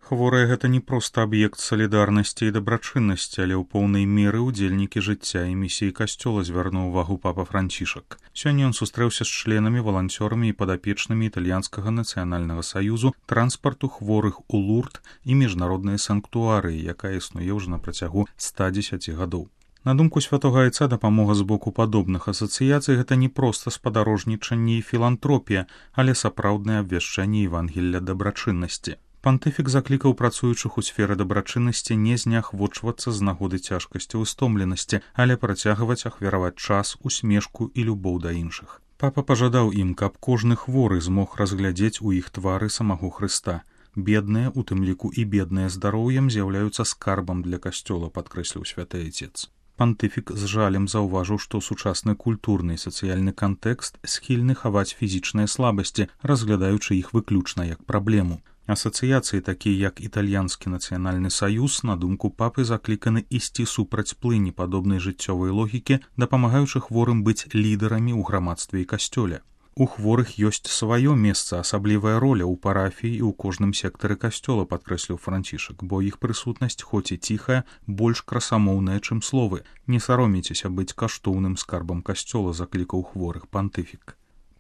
Хворыя гэта не проста аб'ект салідарнасці і дабрачыннасці, але ў поўнай меры ўдзельнікі жыцця і місіі касцёла, звярнуў увагу папа Францішак. Сёння ён сустрэўся з членамі, валанцёрамі і падапечнымі італьянскага нацыянальнага саюзу, транспарту хворых у Лурд і міжнароднай санктуарыі, якая існуе ўжо на працягу 110 гадоў. На думку святога айца, дапамога з боку падобных асацыяцый гэта не проста спадарожнічанне і філантропія, але сапраўднае абвяшчэнне Евангелля дабрачыннасці. Пантыфік заклікаў працуючых у сферы дабрачыннасці не зняхвочвацца з нагоды цяжкасці і стомленасці, але працягваць ахвяраваць час, усмешку і любоў да іншых. Папа пажадаў ім, каб кожны хворы змог разглядзець у іх твары самого Хрыста. Бедныя, у тым ліку і бедныя здароўем, з'яўляюцца скарбам для касцёла, падкрэсліў святы айцец. Пантыфік з жалем заўважыў, што сучасны культурны і сацыяльны кантэкст схільны хаваць фізічныя слабасці, разглядаючы іх выключна як праблему. Асацыяцыі, такія як італьянскі нацыянальны саюз, на думку папы, закліканы ісці супраць плыні падобнай жыццёвай логікі, дапамагаючы хворым быць лідарамі ў грамадстве і касцёле. У хворых ёсць сваё месца, асаблівая роля ў парафіі і ў кожным сектары касцёла, падкрэсліў Францішак, бо іх прысутнасць, хоць і ціхая, больш красамоўная, чым словы. Не саромейцеся быць каштоўным скарбам касцёла, заклікаў хворых пантыфік.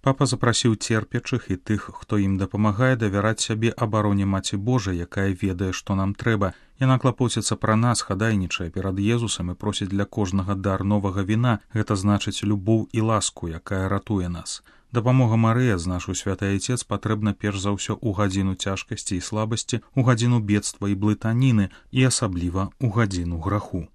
Папа запрасіў церпячых і тых, хто ім дапамагае, давяраць сябе абароне Маці Божай, якая ведае, што нам трэба. Яна клапоціцца пра нас, хадайнічае перад Езусам і просіць для кожнага дар новага віна, гэта значыць любоў і ласку, якая ратуе нас. Дапамога Марыя, знашыў святы айцец, патрэбна перш за ўсё ў гадзіну цяжкасці і слабасці, у гадзіну бедства і блытаніны і асабліва ў гадзіну граху.